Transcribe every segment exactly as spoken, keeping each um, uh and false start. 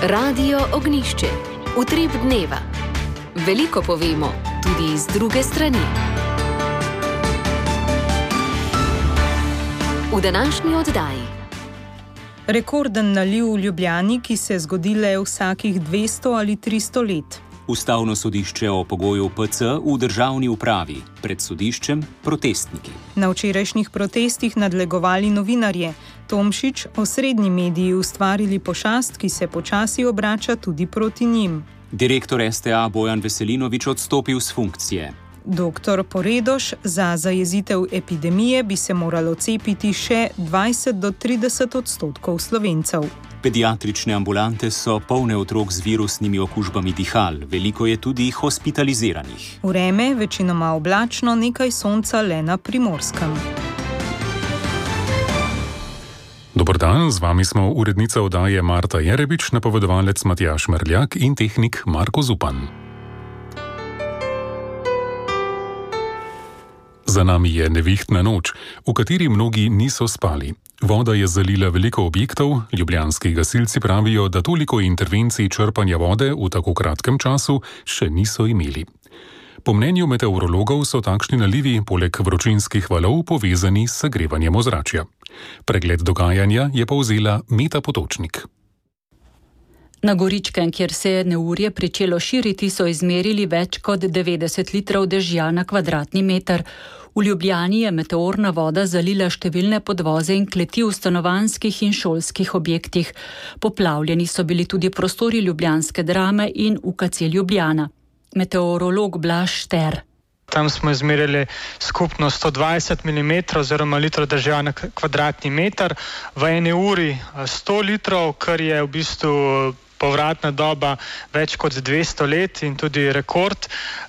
Radio Ognjišče. Utrip dneva. Veliko povemo, tudi iz druge strani. V današnji oddaji. Rekorden naliv v Ljubljani, ki se zgodi le vsakih dvesto ali tristo let. Ustavno sodišče o pogoju P C v državni upravi, pred sodiščem protestniki. Na včerajšnjih protestih nadlegovali novinarje. Tomšič, osrednji mediji ustvarili pošast, ki se počasi obrača tudi proti njim. Direktor S T A Bojan Veselinovič odstopil s funkcije. Doktor Poredoš, za zajezitev epidemije bi se moralo cepiti še dvajset do trideset odstotkov Slovencev. Pediatrične ambulante so polne otrok z virusnimi okužbami dihal, veliko je tudi hospitaliziranih. Vreme večinoma oblačno, nekaj sonca le na Primorskem. Dober dan, z vami smo urednica oddaje Marta Jerebič, napovedovalec Matjaž Merljak in tehnik Marko Zupan. Za nami je nevihtna noč, v kateri mnogi niso spali. Voda je zalila veliko objektov, ljubljanski gasilci pravijo, da toliko intervencij črpanja vode v tako kratkem času še niso imeli. Po mnenju meteorologov so takšni nalivi poleg vročinskih valov povezani s segrevanjem ozračja. Pregled dogajanja je povzela Meta Potočnik. Na Goričkem, kjer se je neurje pričelo širiti, so izmerili več kot devetdeset litrov dežja na kvadratni meter. V Ljubljani je meteorna voda zalila številne podvoze in kleti v stanovanjskih in šolskih objektih. Poplavljeni so bili tudi prostori ljubljanske Drame in U K C Ljubljana. Meteorolog Blaž Šter. Tam smo izmerili skupno sto dvajset milimetrov oziroma litrov dežja na kvadratni meter. V eni uri sto litrov, kar je v bistvu povratna doba več kot dvesto let in tudi rekord.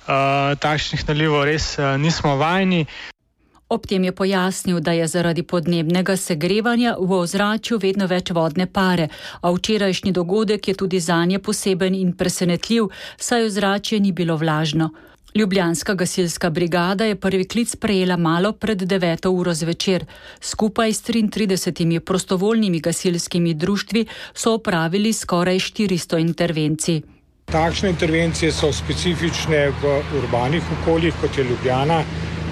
Uh, takšnih nalivov res uh, nismo vajeni. Ob tem je pojasnil, da je zaradi podnebnega segrevanja v ozračju vedno več vodne pare, a včerajšnji dogodek je tudi zanje poseben in presenetljiv, saj ozračje ni bilo vlažno. Ljubljanska gasilska brigada je prvi klic prejela malo pred deveto uro zvečer. Skupaj s triintridesetimi prostovoljnimi gasilskimi društvi so opravili skoraj štiristo intervencij. Takšne intervencije so specifične v urbanih okoljih, kot je Ljubljana,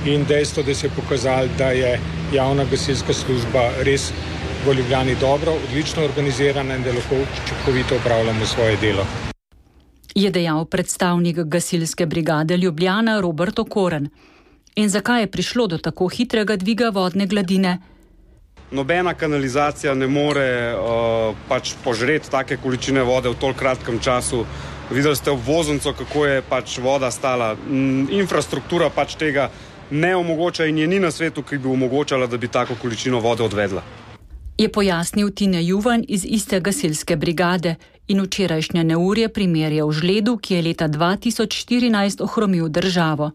in dejstvo, da se je pokazalo, da je javna gasilska služba res v Ljubljani dobro, odlično organizirana in da lahko učinkovito opravljamo svoje delo. Je dejal predstavnik gasilske brigade Ljubljana Robert Okoren. In zakaj je prišlo do tako hitrega dviga vodne gladine? Nobena kanalizacija ne more uh, pač požreti take količine vode v toliko kratkem času. Videli ste obvoznico, kako je pač voda stala. Infrastruktura pač tega ne omogoča in je ni na svetu, ki bi omogočala, da bi tako količino vode odvedla. Je pojasnil Tine Juvan iz iste gasilske brigade in včerajšnje neurje primerjal žledu, ki je leta dva tisoč štirinajst ohromil državo.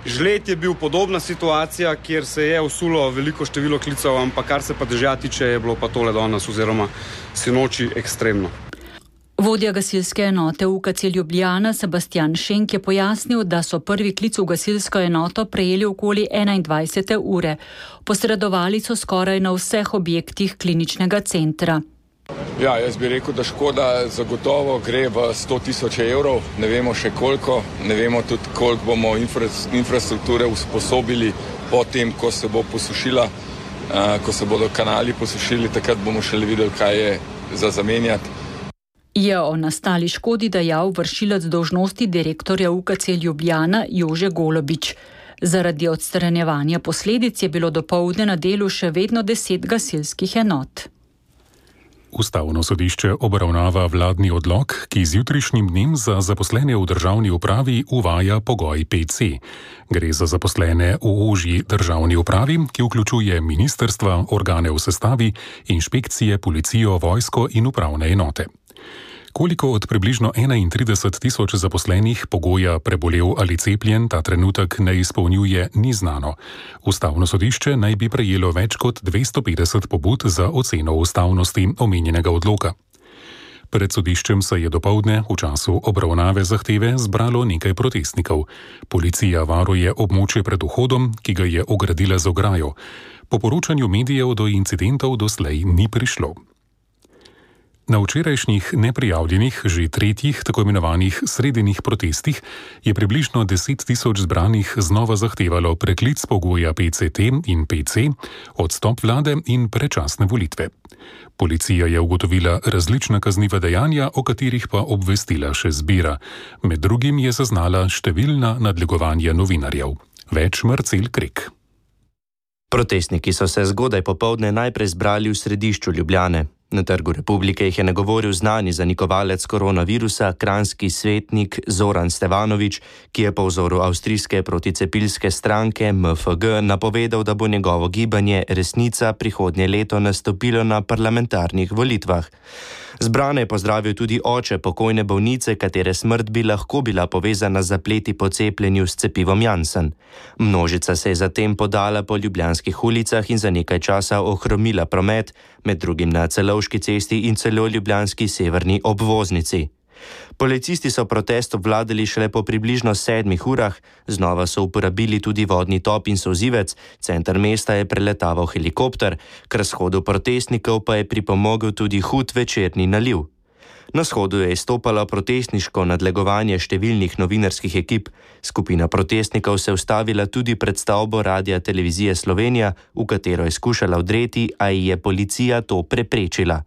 Žled je bil podobna situacija, kjer se je usulo veliko število klicev, ampak kar se pa dežja tiče, je bilo pa tole danes oziroma sinoči ekstremno. Vodja gasilske enote U K C Ljubljana Sebastian Šenk je pojasnil, da so prvi klic v gasilsko enoto prejeli okoli enaindvajsete ure. Posredovali so skoraj na vseh objektih kliničnega centra. Ja, jaz bi rekel, da škoda zagotovo gre v sto tisoč evrov, ne vemo še koliko, ne vemo tudi koliko bomo infra, infrastrukture usposobili potem, ko se bo posušila, uh, ko se bodo kanali posušili, takrat bomo šele videli, kaj je za zamenjati. Je o nastali škodi dejal vršilec dolžnosti direktorja U K C Ljubljana Jože Golobič. Zaradi odstranjevanja posledic je bilo dopoldne na delu še vedno deset gasilskih enot. Ustavno sodišče obravnava vladni odlok, ki z jutrišnjim dnem za zaposlene v državni upravi uvaja pogoj P C. Gre za zaposlene v ožji državni upravi, ki vključuje ministrstva, organe v sestavi, inšpekcije, policijo, vojsko in upravne enote. Koliko od približno enaintrideset tisoč zaposlenih pogoja prebolel ali cepljen ta trenutek ne izpolnjuje, ni znano. Ustavno sodišče naj bi prejelo več kot dvesto petdeset pobud za oceno ustavnosti omenjenega odloka. Pred sodiščem se je dopoldne v času obravnave zahteve zbralo nekaj protestnikov. Policija varuje območje pred vhodom, ki ga je ogradila z ograjo. Po poročanju medijev do incidentov doslej ni prišlo. Na včerajšnjih neprijavljenih, že tretjih, tako imenovanih sredinnih protestih je približno deset tisoč zbranih znova zahtevalo preklic pogoja P C T in P C, odstop vlade in predčasne volitve. Policija je ugotovila različna kazniva dejanja, o katerih pa obvestila še zbira. Med drugim je zaznala številna nadlegovanja novinarjev. Več Marcel Krek. Protestniki so se zgodaj popoldne najprej zbrali v središču Ljubljane. Na Trgu Republike jih je nagovoril znani zanikovalec koronavirusa, kranjski svetnik Zoran Stevanović, ki je po vzoru avstrijske proticepilske stranke M F G napovedal, da bo njegovo gibanje Resnica prihodnje leto nastopilo na parlamentarnih volitvah. Zbrane je pozdravil tudi oče pokojne bolnice, katere smrt bi lahko bila povezana z zapleti po cepljenju s cepivom Janssen. Množica se je zatem podala po ljubljanskih ulicah in za nekaj časa ohromila promet, med drugim na Celovški cesti in celo ljubljanski severni obvoznici. Policisti so protest obvladali šele po približno sedmih urah, znova so uporabili tudi vodni top in solzivec, center mesta je preletaval helikopter, k razhodu protestnikov pa je pripomogel tudi hud večerni naliv. Na shodu je izstopalo protestniško nadlegovanje številnih novinarskih ekip. Skupina protestnikov se ustavila tudi pred stavbo Radia Televizije Slovenija, v katero je skušala vdreti, a ji je policija to preprečila.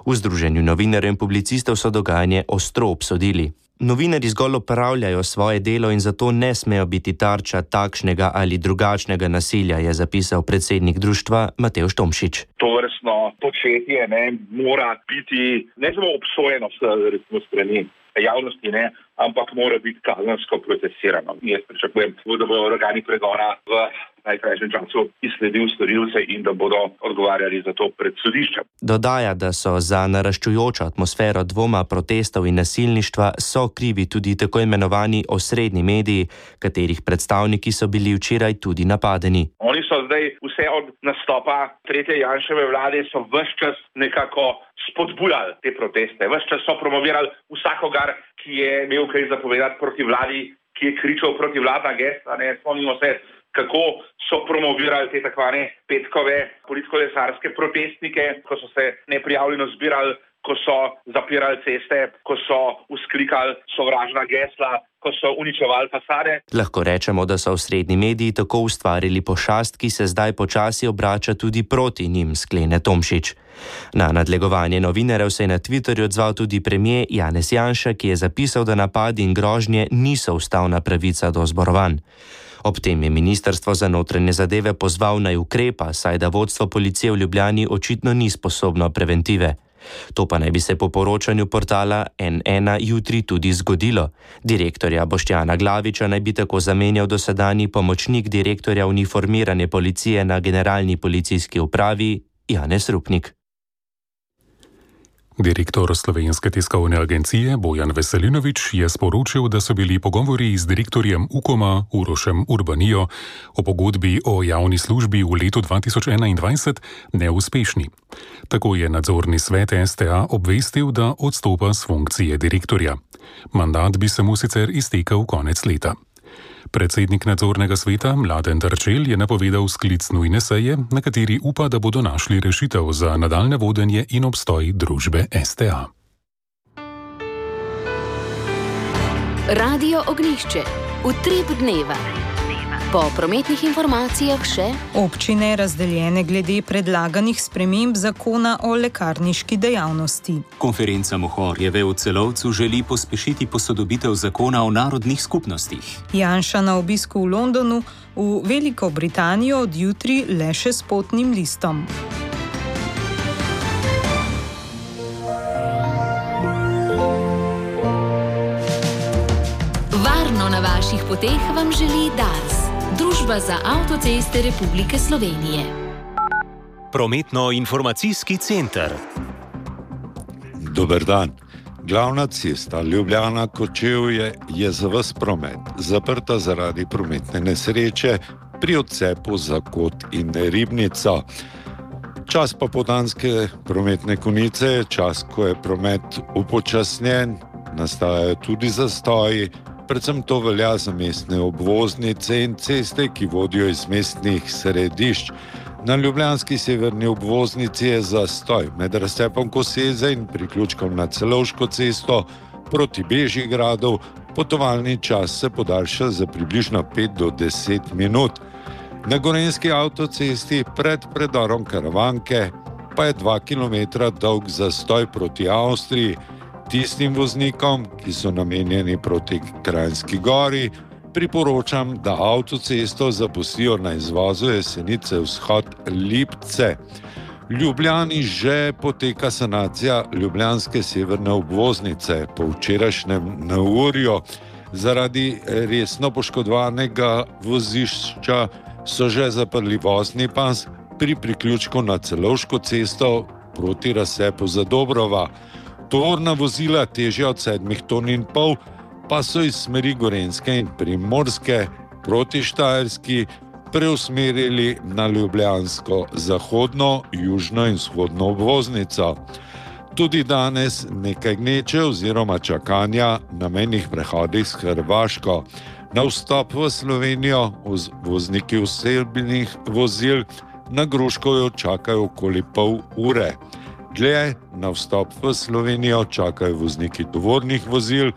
V Združenju novinarjev in publicistov so dogajanje ostro obsodili. Novinarji zgolj opravljajo svoje delo in zato ne smejo biti tarča takšnega ali drugačnega nasilja, je zapisal predsednik društva Matevž Tomšič. Tovrstno početje ne, mora biti ne samo obsojeno s strani javnosti, ne, ampak mora biti kazensko procesirano. Jaz pričakujem, da bodo organi pregona v najkrajšem času izsledil storilce in da bodo odgovarjali za to pred sodiščem. Dodaja, da so za naraščujočo atmosfero dvoma, protestov in nasilništva so krivi tudi tako imenovani osrednji mediji, katerih predstavniki so bili včeraj tudi napadeni. Oni so zdaj vse od nastopa tretje Janševe vlade so ves čas nekako spodbujali te proteste. Ves čas so promovirali vsakogar, ki je imel kaj zapovedati proti vladi, ki je kričal proti vladna gesla. Ne spomnimo se, kako so promovirali te takvane petkove politkolesarske protestnike, ko so se neprijavljeno zbirali, ko so zapirali ceste, ko so vzklikali sovražna gesla, ko so uničevali fasade. Lahko rečemo, da so osrednji mediji tako ustvarili pošast, ki se zdaj počasi obrača tudi proti njim, sklene Tomšič. Na nadlegovanje novinarjev se je na Twitterju odzval tudi premier Janez Janša, ki je zapisal, da napadi in grožnje niso ustavna pravica do zborovanj. Ob tem je ministrstvo za notranje zadeve pozval naj ukrepa, saj da vodstvo policije v Ljubljani očitno ni sposobno preventive. To pa naj bi se po poročanju portala N ena jutri tudi zgodilo. Direktorja Boštjana Glaviča naj bi tako zamenjal dosedanji pomočnik direktorja uniformirane policije na generalni policijski upravi Janez Rupnik. Direktor Slovenske tiskovne agencije Bojan Veselinovič je sporočil, da so bili pogovori z direktorjem Ukoma Urošem Urbanijo o pogodbi o javni službi v letu dva tisoč enaindvajset neuspešni. Tako je nadzorni svet S T A obvestil, da odstopa s funkcije direktorja. Mandat bi se mu sicer iztekel konec leta. Predsednik nadzornega sveta Mladen Terčelj je napovedal sklic nujne seje, na kateri upa, da bodo našli rešitev za nadaljne vodenje in obstoj družbe S T A. Radio Ognjišče. Utrip dneva. Po prometnih informacijah še občine razdeljene glede predlaganih sprememb zakona o lekarniški dejavnosti. Konferenca Mohorjeve v Celovcu želi pospešiti posodobitev zakona o narodnih skupnostih. Janša na obisku v Londonu, v Veliko Britanijo od jutri le še s potnim listom. Varno na vaših poteh vam želi Dars. Družba za avtoceste Republike Slovenije. Prometno-informacijski center. Dober dan. Glavna cesta Ljubljana-Kočevje je za ves promet zaprta zaradi prometne nesreče pri odcepu za Kot in Ribnica. Čas popoldanske prometne konice je čas, ko je promet upočasnjen, nastajajo tudi zastoji. Predvsem to velja za mestne obvoznice in ceste, ki vodijo iz mestnih središč. Na ljubljanski severni obvoznici je zastoj med razcepom Koseze in priključkom na Celovško cesto proti Bežigradu. Potovalni čas se podaljša za približno pet do deset minut. Na gorenjski avtocesti pred predorom Karavanke pa je dva kilometra dolg zastoj proti Avstriji. Tistim voznikom, ki so namenjeni proti Kranjski Gori, priporočam, da avtocesto zapustijo na izvozu Jesenice vzhod-Lipce. V Ljubljani že poteka sanacija ljubljanske severne obvoznice. Po včerajšnjem neurju zaradi resno poškodovanega vozišča so že zaprli vozni pas pri priključku na Celovško cesto proti razcepu Zadobrova. Tovorna vozila težja od sedmih ton in pol pa so iz smeri Gorenjske in Primorske proti Štajerski preusmerili na ljubljansko zahodno, južno in vzhodno obvoznico. Tudi danes nekaj gneče oziroma čakanja na mejnih prehodih s Hrvaško. Na vstop v Slovenijo vozniki osebnih vozil na Gruškovju čakajo okoli pol ure. Dlje na vstop v Slovenijo čakajo vozniki tovornih vozil,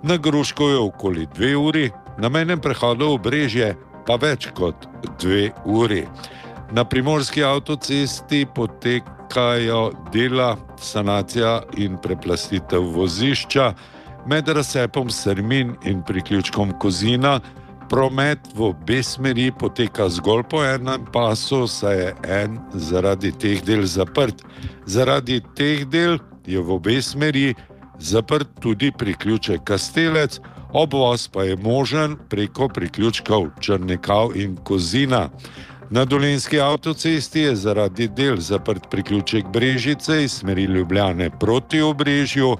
na Gruškovju okoli dve uri, na mejnem prehodu Obrežje pa več kot dve uri. Na primorski avtocesti potekajo dela, sanacija in preplastitev vozišča. Med razcepom Sermin in priključkom Kozina promet v obe smeri poteka zgolj po enem pasu, saj je en zaradi teh del zaprt. Zaradi teh del je v obe smeri zaprt tudi priključek Kastelec, obvoz pa je možen preko priključkov Črnikav in Kozina. Na dolenjski avtocesti je zaradi del zaprt priključek Brežice iz smeri Ljubljane proti Obrežju,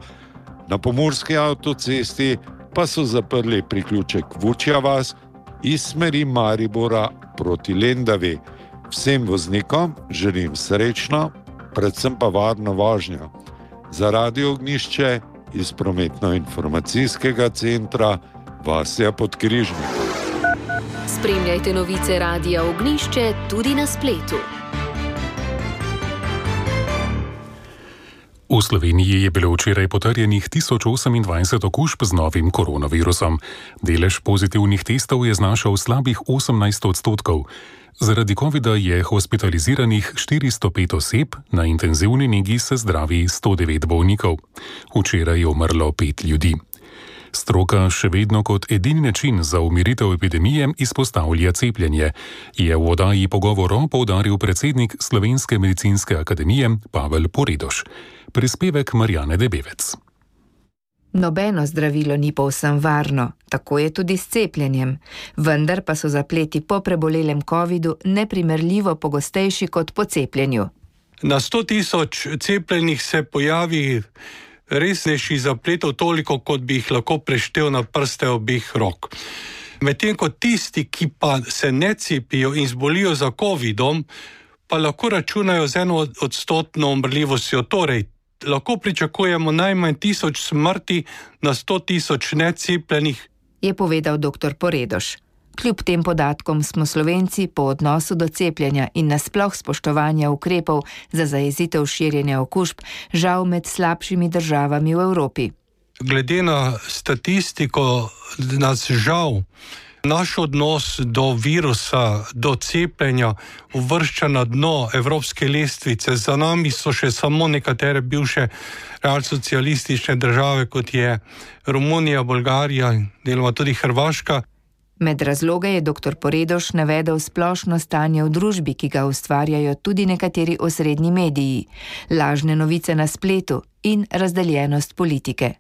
na pomurski avtocesti pa so zaprli priključek Vučja vas iz smeri Maribora proti Lendavi. Vsem voznikom želim srečno, predvsem pa varno vožnjo. Za Radio Ognjišče iz prometno-informacijskega centra Vasja Podkrižnik. Spremljajte novice Radia Ognjišče tudi na spletu. V Sloveniji je bilo včeraj potrjenih tisoč osemindvajset okužb z novim koronavirusom. Delež pozitivnih testov je znašal slabih osemnajst odstotkov. Zaradi covida je hospitaliziranih štiristo pet oseb, na intenzivni negi se zdravi sto devet bolnikov. Včeraj je umrlo pet ljudi. Stroka še vedno kot edini način za umiritev epidemije izpostavlja cepljenje, je v oddaji Pogovorov poudaril predsednik Slovenske medicinske akademije Pavel Poredoš. Prispevek Marjane Debevec. Nobeno zdravilo ni povsem varno, tako je tudi s cepljenjem, vendar pa so zapleti po prebolelem covidu neprimerljivo pogostejši kot po cepljenju. Na sto tisoč cepljenih se pojavi resnejši zapletov toliko, kot bi jih lahko preštel na prste obeh rok. Medtem ko tisti, ki pa se ne cepijo in zbolijo za covidom, pa lahko računajo z eno odstotno umrljivostjo, torej lahko pričakujemo najmanj tisoč smrti na sto tisoč necepljenih, je povedal doktor Poredoš. Kljub tem podatkom smo Slovenci po odnosu do cepljenja in nasploh spoštovanja ukrepov za zajezitev širjenja okužb žal med slabšimi državami v Evropi. Glede na statistiko nas žal naš odnos do virusa, do cepljenja uvršča na dno evropske lestvice. Za nami so še samo nekatere bivše realsocialistične države, kot je Romunija, Bolgarija in deloma tudi Hrvaška. Med razloge je doktor Poredoš navedel splošno stanje v družbi, ki ga ustvarjajo tudi nekateri osrednji mediji, lažne novice na spletu in razdeljenost politike.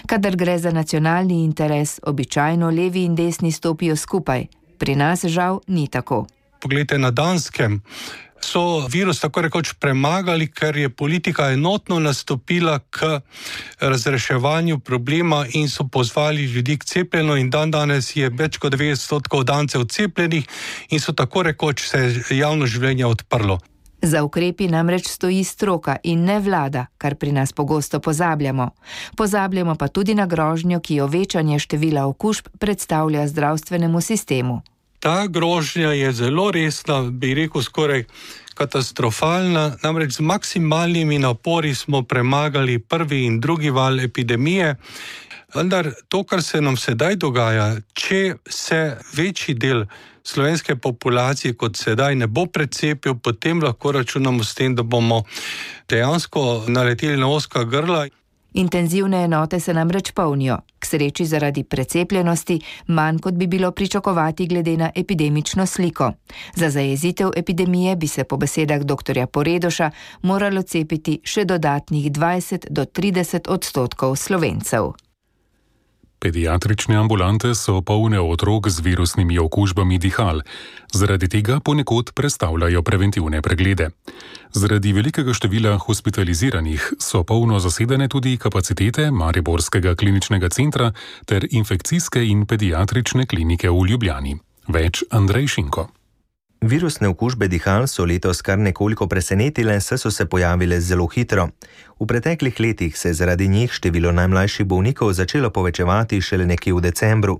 Kadar gre za nacionalni interes, običajno levi in desni stopijo skupaj. Pri nas žal ni tako. Poglejte, na Danskem so virus tako rekoč premagali, ker je politika enotno nastopila k razreševanju problema in so pozvali ljudi k cepljenju in dan danes je več kot devetdeset odstotkov Dancev cepljenih in so tako rekoč se javno življenje odprlo. Za ukrepi namreč stoji stroka in ne vlada, kar pri nas pogosto pozabljamo. Pozabljamo pa tudi na grožnjo, ki jo večanje števila okužb predstavlja zdravstvenemu sistemu. Ta grožnja je zelo resna, bi rekel skoraj katastrofalna, namreč z maksimalnimi napori smo premagali prvi in drugi val epidemije. Vendar to, kar se nam sedaj dogaja, če se večji del slovenske populacije kot sedaj ne bo precepil, potem lahko računamo s tem, da bomo dejansko naleteli na ozka grla. Intenzivne enote se namreč polnijo, k sreči zaradi precepljenosti, manj kot bi bilo pričakovati glede na epidemično sliko. Za zajezitev epidemije bi se po besedah doktorja Poredoša moralo cepiti še dodatnih dvajset do trideset odstotkov Slovencev. Pediatrične ambulante so polne otrok z virusnimi okužbami dihal. Zaradi tega ponekod prestavljajo preventivne preglede. Zaradi velikega števila hospitaliziranih so polno zasedene tudi kapacitete Mariborskega kliničnega centra ter infekcijske in pediatrične klinike v Ljubljani. Več Andrej Šinko. Virusne okužbe dihal so letos kar nekoliko presenetile, saj so se pojavile zelo hitro. V preteklih letih se je zaradi njih število najmlajših bolnikov začelo povečevati šele nekje v decembru.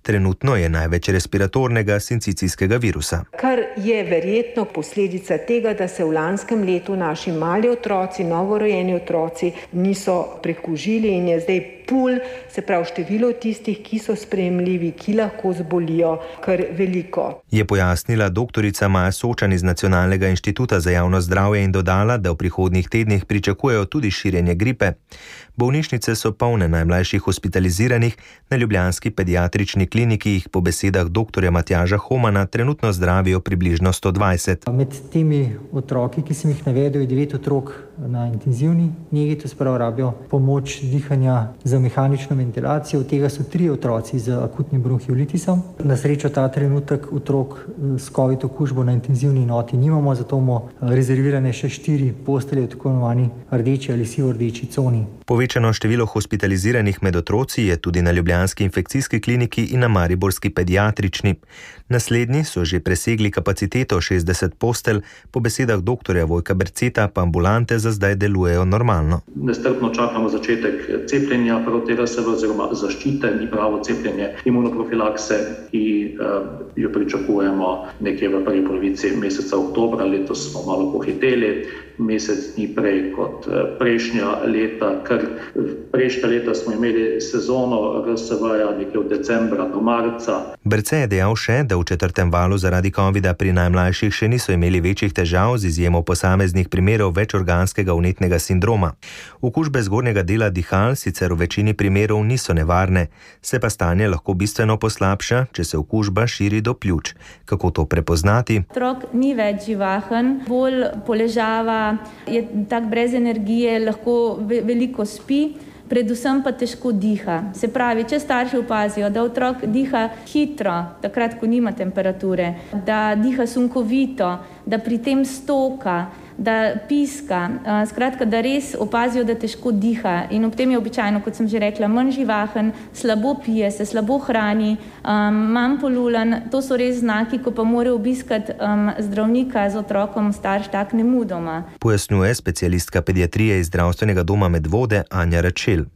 Trenutno je največ respiratornega sincicijskega virusa. Kar je verjetno posledica tega, da se v lanskem letu naši mali otroci, novorojeni otroci niso prekužili in je zdaj pul, se pravi število tistih, ki so sprejemljivi, ki lahko zbolijo, kar veliko. Je pojasnila doktorica Maja Sočan iz Nacionalnega inštituta za javno zdravje in dodala, da v prihodnjih tednih pričakujejo tudi širjenje gripe. Bolnišnice so polne najmlajših hospitaliziranih, na ljubljanski pediatrični kliniki jih po besedah doktorja Matjaža Homana trenutno zdravijo približno sto dvajset. Med temi otroki, ki sem jih navedel, je devet otrok na intenzivni negi, to se pravi rabijo pomoč dihanja za mehanično ventilacijo, od tega so tri otroci z akutnim bronhiolitisom. Na srečo ta trenutek otrok s COVID okužbo na intenzivni enoti nimamo, zato imamo rezervirane še štiri postelje v tako imenovani rdeči ali sivo-rdeči coni. Povečano število hospitaliziranih med otroci je tudi na ljubljanski infekcijski kliniki in na mariborski pediatrični. Naslednji so že presegli kapaciteto šestdeset postelj, po besedah doktorja Vojka Berceta pa ambulante za zdaj delujejo normalno. Nestrpno čakamo začetek cepljenja proti R S V oziroma zaščite, ni pravo cepljenje imunoprofilakse, ki uh, jo pričakujemo nekje v prvi polovici meseca oktobra. Letos smo malo pohiteli, mesec dni prej kot prejšnja leta, ker prejšnja leta smo imeli sezono R S V-ja nekje od decembra do marca. Berce je dejal še, da v četrtem valu zaradi covida pri najmlajših še niso imeli večjih težav z izjemo posameznih primerov večorganskega vnetnega sindroma. Okužbe zgornjega dela dihal sicer v večini primerov niso nevarne, se pa stanje lahko bistveno poslabša, če se okužba širi do pljuč. Kako to prepoznati? Otrok ni več živahen, bolj poležava, je tak brez energije, lahko veliko spi, predvsem pa težko diha. Se pravi, če starši opazijo, da otrok diha hitro, takrat, ko nima temperature, da diha sunkovito, da pri tem stoka, da piska, skratka, da res opazijo, da težko diha in ob tem je običajno, kot sem že rekla, manj živahen, slabo pije, se slabo hrani, um, manj polulan, to so res znaki, ko pa mora obiskati um, zdravnika z otrokom starš tak nemudoma. Pojasnjuje specialistka pediatrije iz zdravstvenega doma Medvode Anja Račel.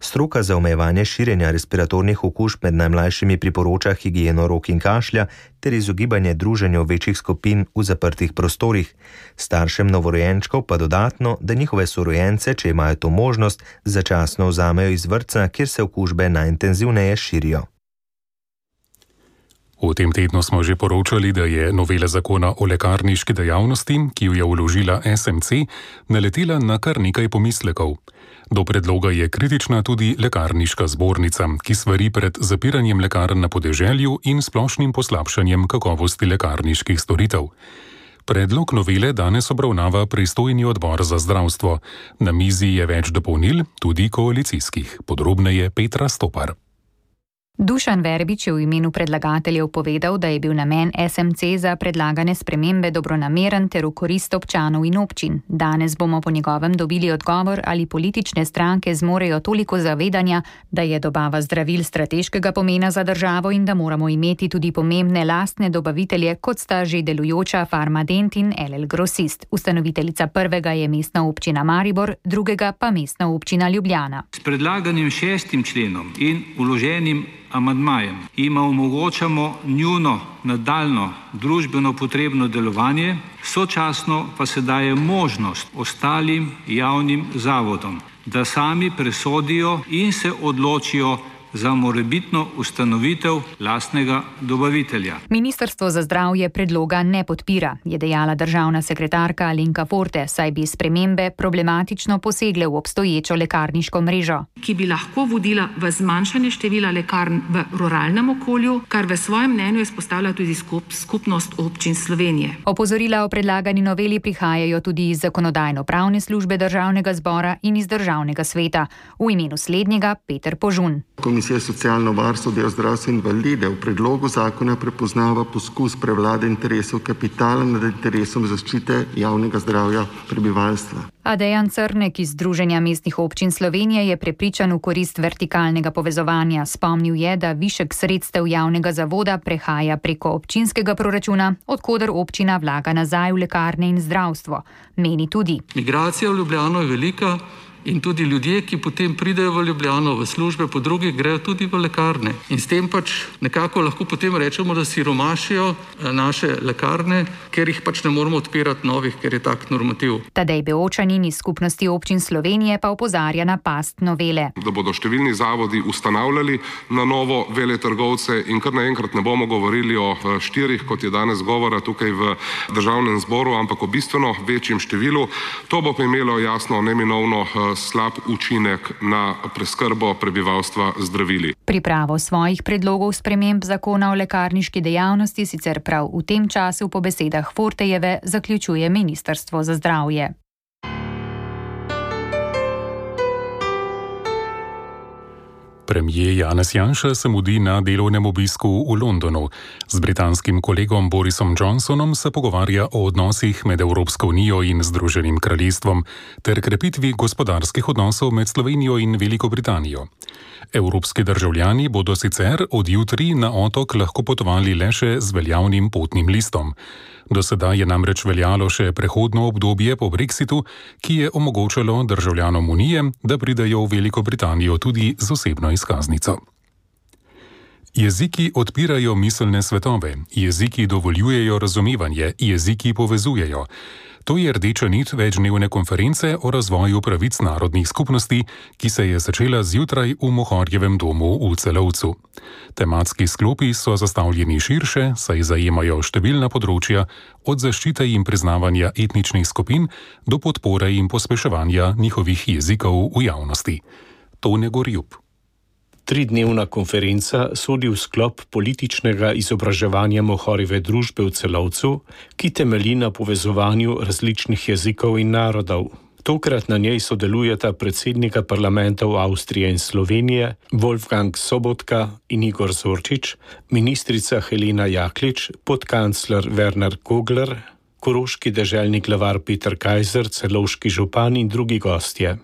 Stroka za omejevanje širjenja respiratornih okužb med najmlajšimi priporoča higieno rok in kašlja ter izogibanje druženju večjih skupin v zaprtih prostorih. Staršem novorojenčkov pa dodatno, da njihove sorojence, če imajo to možnost, začasno vzamejo iz vrtca, kjer se okužbe najintenzivneje širijo. V tem tednu smo že poročali, da je novela zakona o lekarniški dejavnosti, ki jo je vložila S M C, naletela na kar nekaj pomislekov. Do predloga je kritična tudi lekarniška zbornica, ki svari pred zapiranjem lekarn na podeželju in splošnim poslabšanjem kakovosti lekarniških storitev. Predlog novele danes obravnava pristojni odbor za zdravstvo. Na mizi je več dopolnil, tudi koalicijskih. Podrobneje Petra Stopar. Dušan Verbič je v imenu predlagateljev povedal, da je bil namen S M C za predlagane spremembe dobronameren ter v korist občanov in občin. Danes bomo po njegovem dobili odgovor, ali politične stranke zmorejo toliko zavedanja, da je dobava zdravil strateškega pomena za državo in da moramo imeti tudi pomembne lastne dobavitelje, kot sta že delujoča Farmadent in L L Grosist. Ustanoviteljica prvega je mestna občina Maribor, drugega pa mestna občina Ljubljana. S predlaganim šestim členom in vloženim amandmajem jim omogočamo njuno nadaljno družbeno potrebno delovanje, sočasno pa se daje možnost ostalim javnim zavodom, da sami presodijo in se odločijo za morebitno ustanovitev lastnega dobavitelja. Ministrstvo za zdravje predloga ne podpira, je dejala državna sekretarka Alenka Forte, saj bi spremembe problematično posegle v obstoječo lekarniško mrežo. Ki bi lahko vodila v zmanjšanje števila lekarn v ruralnem okolju, kar v svojem mnenju izpostavlja tudi skup, skupnost občin Slovenije. Opozorila o predlagani noveli prihajajo tudi iz zakonodajno-pravne službe državnega zbora in iz državnega sveta. V imenu slednjega Peter Požun. Komisija socialno varstvo, del zdravstva in invalide v predlogu zakona prepoznava poskus prevlade interesov kapitala nad interesom zaščite javnega zdravja prebivalstva. A Dejan Crnek iz Združenja mestnih občin Slovenije je prepričan v korist vertikalnega povezovanja. Spomnil je, da višek sredstev javnega zavoda prehaja preko občinskega proračuna, odkoder občina vlaga nazaj v lekarne in zdravstvo. Meni tudi. Migracija v Ljubljano je velika. In tudi ljudje, ki potem pridejo v Ljubljano v službe, po drugih grejo tudi v lekarne. In s tem pač nekako lahko potem rečemo, da siromašijo naše lekarne, ker jih pač ne moramo odpirati novih, ker je tak normativ. Tadej Beočanin iz Skupnosti občin Slovenije pa opozarja na past novele. Da bodo številni zavodi ustanavljali na novo veletrgovce in kar naenkrat ne bomo govorili o štirih, kot je danes govora tukaj v državnem zboru, ampak o bistveno večjem številu. To bo pa imelo jasno neminovno slab učinek na preskrbo prebivalstva zdravili. Pripravo svojih predlogov sprememb zakona o lekarniški dejavnosti sicer prav v tem času po besedah Fortejeve zaključuje Ministrstvo za zdravje. Premijer Janez Janša se mudi na delovnem obisku v Londonu. Z britanskim kolegom Borisom Johnsonom se pogovarja o odnosih med Evropsko unijo in Združenim kraljestvom ter krepitvi gospodarskih odnosov med Slovenijo in Veliko Britanijo. Evropski državljani bodo sicer od jutri na otok lahko potovali le še z veljavnim potnim listom. Do sedaj je namreč veljalo še prehodno obdobje po Brexitu, ki je omogočalo državljanom Unije, da pridejo v Veliko Britanijo tudi z osebno izkaznico. Jeziki odpirajo miselne svetove, jeziki dovoljujejo razumevanje, jeziki povezujejo. To je rdeča nit večdnevne konference o razvoju pravic narodnih skupnosti, ki se je začela zjutraj v Mohorjevem domu v Celovcu. Tematski sklopi so zastavljeni širše, saj zajemajo številna področja, od zaščite in priznavanja etničnih skupin do podpore in pospeševanja njihovih jezikov v javnosti. Tone Gorjub. Tridnevna konferenca sodi v sklop političnega izobraževanja Mohorjeve družbe v Celovcu, ki temelji na povezovanju različnih jezikov in narodov. Tokrat na njej sodelujeta predsednika parlamentov Avstrije in Slovenije, Wolfgang Sobotka in Igor Zorčič, ministrica Helena Jaklič, podkancler Werner Kogler, koroški deželni glavar Peter Kajzer, celovški župan in drugi gostje.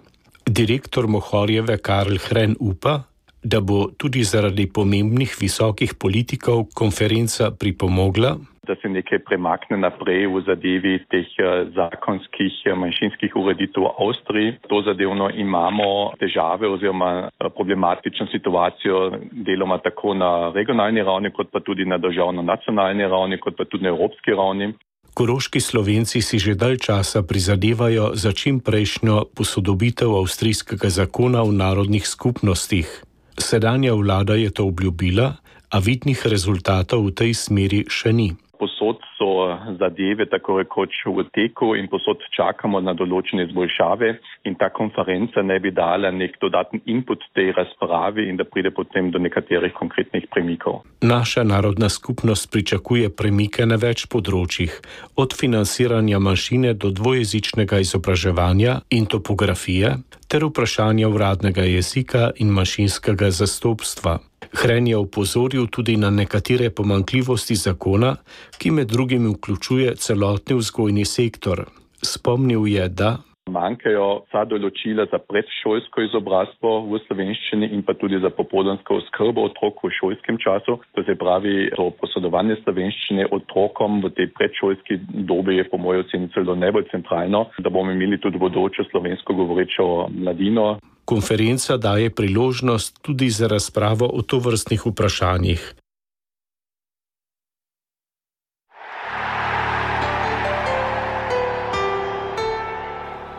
Direktor Mohorjeve Karl Hren upa, da bo tudi zaradi pomembnih visokih politikov konferenca pripomogla, da se nekaj premakne naprej v zadevi teh zakonskih manjšinskih ureditev v Avstriji. To zadevno imamo težave oziroma problematično situacijo deloma tako na regionalni ravni, kot pa tudi na državno-nacionalni ravni, kot pa tudi na evropski ravni. Koroški Slovenci si že dalj časa prizadevajo za čim prejšnjo posodobitev avstrijskega zakona o narodnih skupnostih. Sedanja vlada je to obljubila, a vidnih rezultatov v tej smeri še ni. Posod so zadeve tako rekoč v teku in posod čakamo na določene izboljšave in ta konferenca ne bi dala nek dodatni input tej razpravi in da pride potem do nekaterih konkretnih premikov. Naša narodna skupnost pričakuje premike na več področjih, od financiranja manjšine do dvojezičnega izobraževanja in topografije ter vprašanja uradnega jezika in manjšinskega zastopstva. Hren je opozoril tudi na nekatere pomanjkljivosti zakona, ki med drugim vključuje celotni vzgojni sektor. Spomnil je, da manjkajo vsa določila za predšolsko izobrazbo v slovenščini in pa tudi za popoldansko oskrbo otrok v šolskem času. To se pravi, to posredovanje slovenščine otrokom v tej predšolski dobi je po mojem oceni celo najbolj centralno, da bomo imeli tudi bodočo slovensko govorečo mladino. Konferenca daje priložnost tudi za razpravo o tovrstnih vprašanjih.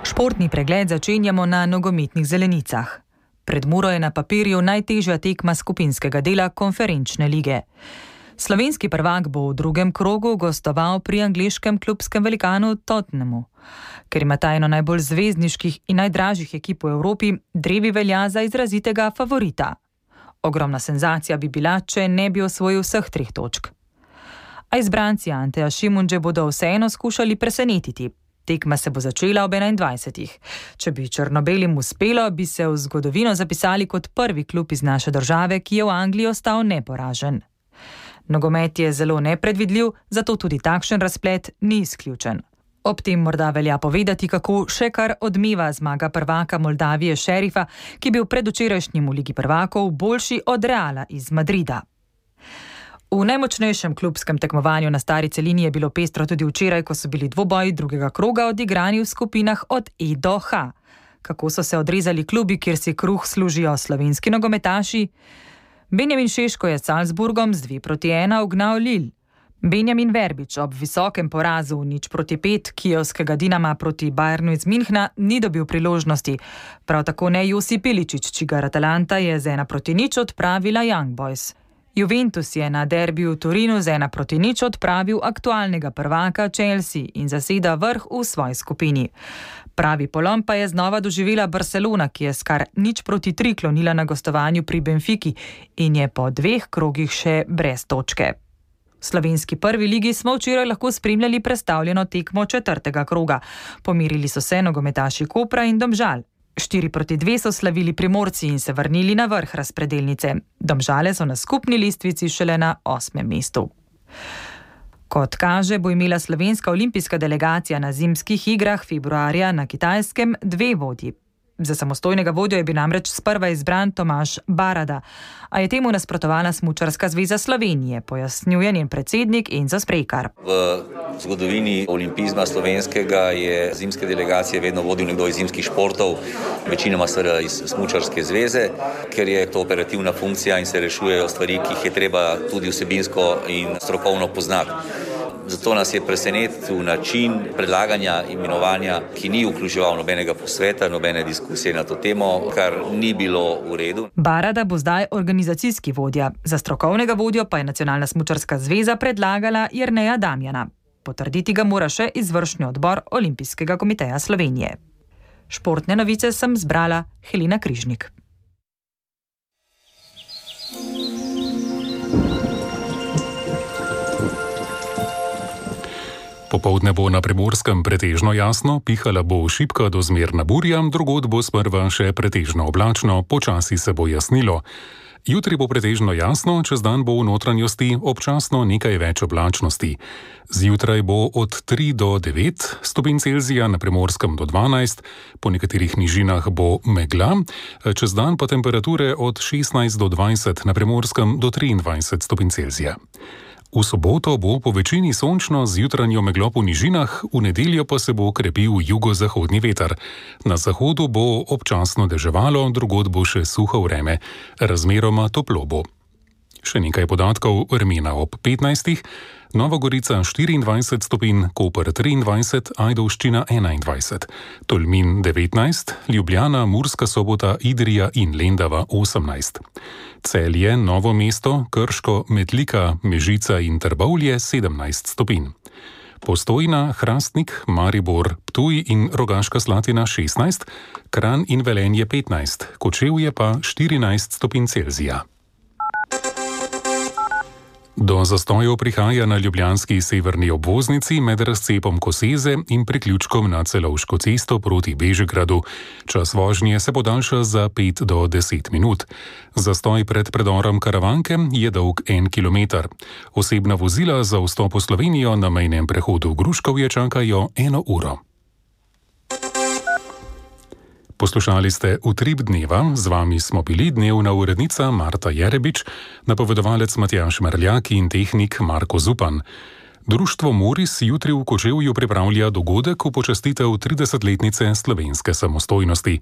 Športni pregled začenjamo na nogometnih zelenicah. Pred Muro je na papirju najtežja tekma skupinskega dela konferenčne lige. Slovenski prvak bo v drugem krogu gostoval pri angleškem klubskem velikanu Tottenhamu. Ker ima ta eno najbolj zvezdniških in najdražjih ekip v Evropi, drevi velja za izrazitega favorita. Ogromna senzacija bi bila, če ne bi osvojil vseh treh točk. A izbranci Anteja Šimundže bodo vseeno skušali presenetiti. Tekma se bo začela ob enaindvajsetih. Če bi črnobelim uspelo, bi se v zgodovino zapisali kot prvi klub iz naše države, ki je v Angliji ostal neporažen. Nogomet je zelo nepredvidljiv, zato tudi takšen razplet ni izključen. Ob tem morda velja povedati, kako še kar odmeva zmaga prvaka Moldavije Šerifa, ki je bil predvčerajšnjim v Ligi prvakov boljši od Reala iz Madrida. V najmočnejšem klubskem tekmovanju na stari celini je bilo pestro tudi včeraj, ko so bili dvoboji drugega kroga odigrani v skupinah od E do H. Kako so se odrezali klubi, kjer si kruh služijo slovenski nogometaši? Benjamin Šeško je s Salzburgom z dve proti ena ugnal Lille. Benjamin Verbič ob visokem porazu nič proti pet kijevskega Dinama proti Bayernu iz Minhna ni dobil priložnosti. Prav tako ne Josip Iličić, čigar Atalanta je z ena proti nič odpravila Young Boys. Juventus je na derbiju v Torinu z ena proti nič odpravil aktualnega prvaka Chelsea in zaseda vrh v svoji skupini. Pravi polom pa je znova doživela Barcelona, ki je s kar nič proti tri klonila na gostovanju pri Benfiki in je po dveh krogih še brez točke. V slovenski prvi ligi smo včeraj lahko spremljali prestavljeno tekmo četrtega kroga. Pomirili so se nogometaši Kopra in Domžal. štiri proti dve so slavili Primorci in se vrnili na vrh razpredelnice. Domžale so na skupni lestvici šele na osmem mestu. Kot kaže, bo imela slovenska olimpijska delegacija na zimskih igrah februarja na Kitajskem dve vodji. Za samostojnega vodjo je bil namreč sprva izbran Tomaž Barada, a je temu nasprotovala Smučarska zveza Slovenije, pojasnjuje njen predsednik Enzo Sprejkar. V zgodovini olimpizma slovenskega je zimske delegacije vedno vodil nekdo iz zimskih športov, večinoma seveda iz Smučarske zveze, ker je to operativna funkcija in se rešujejo stvari, ki jih je treba tudi vsebinsko in strokovno poznati. Zato nas je presenetil način predlaganja imenovanja, ki ni vključeval nobenega posveta, nobene diskusije na to temo, kar ni bilo v redu. Barada bo zdaj organizacijski vodja. Za strokovnega vodjo pa je Nacionalna smučarska zveza predlagala Jerneja Damjana. Potrditi ga mora še izvršni odbor Olimpijskega komiteja Slovenije. Športne novice sem zbrala Helena Križnik. Popoldne bo na Primorskem pretežno jasno, pihala bo šibka do zmerna burja, drugod bo sprva še pretežno oblačno, počasi se bo jasnilo. Jutri bo pretežno jasno, čez dan bo v notranjosti občasno nekaj več oblačnosti. Zjutraj bo od tri do devet stopinj Celzija, na Primorskem do dvanajst, po nekaterih nižinah bo megla, čez dan pa temperature od šestnajst do dvajset, na Primorskem do triindvajset stopinj Celzija. V soboto bo po večini sončno z jutranjo meglo po nižinah, v nedeljo pa se bo krepil jugozahodni veter. Na zahodu bo občasno deževalo, drugod bo še suho vreme, razmeroma toplo bo. Še nekaj podatkov, vremena ob petnajstih, Nova Gorica štiriindvajset stopinj, Koper triindvajset, Ajdovščina enaindvajset, Tolmin devetnajst, Ljubljana, Murska Sobota, Idrija in Lendava osemnajst. Celje, Novo mesto, Krško, Metlika, Mežica in Trbovlje sedemnajst stopinj. Postojna, Hrastnik, Maribor, Ptuj in Rogaška Slatina šestnajst, Kranj in Velenje petnajst, Kočevje pa štirinajst stopinj Celzija. Do zastojev prihaja na ljubljanski severni obvoznici med razcepom Koseze in priključkom na Celovško cesto proti Bežigradu. Čas vožnje se podaljša za pet do deset minut. Zastoj pred predorom Karavanke je dolg en kilometer. Osebna vozila za vstop v Slovenijo na mejnem prehodu Gruškovje čakajo eno uro. Poslušali ste Utrip dneva, z vami smo bili dnevna urednica Marta Jerebič, napovedovalec Matjaž Merljak in tehnik Marko Zupan. Društvo Moris jutri v Kočevju pripravlja dogodek v počastitev tridesetletnice slovenske samostojnosti.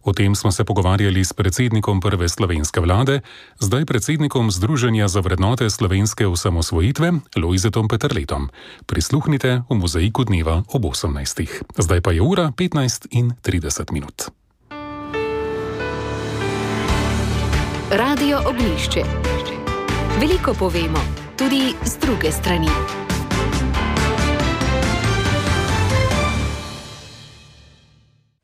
O tem smo se pogovarjali s predsednikom prve slovenske vlade, zdaj predsednikom Združenja za vrednote slovenske osamosvojitve, Lojzetom Peterletom. Prisluhnite v Mozaiku dneva ob osemnajstih. Zdaj pa je ura petnajst in trideset minut. Radio Ognjišče. Veliko povemo, tudi z druge strani.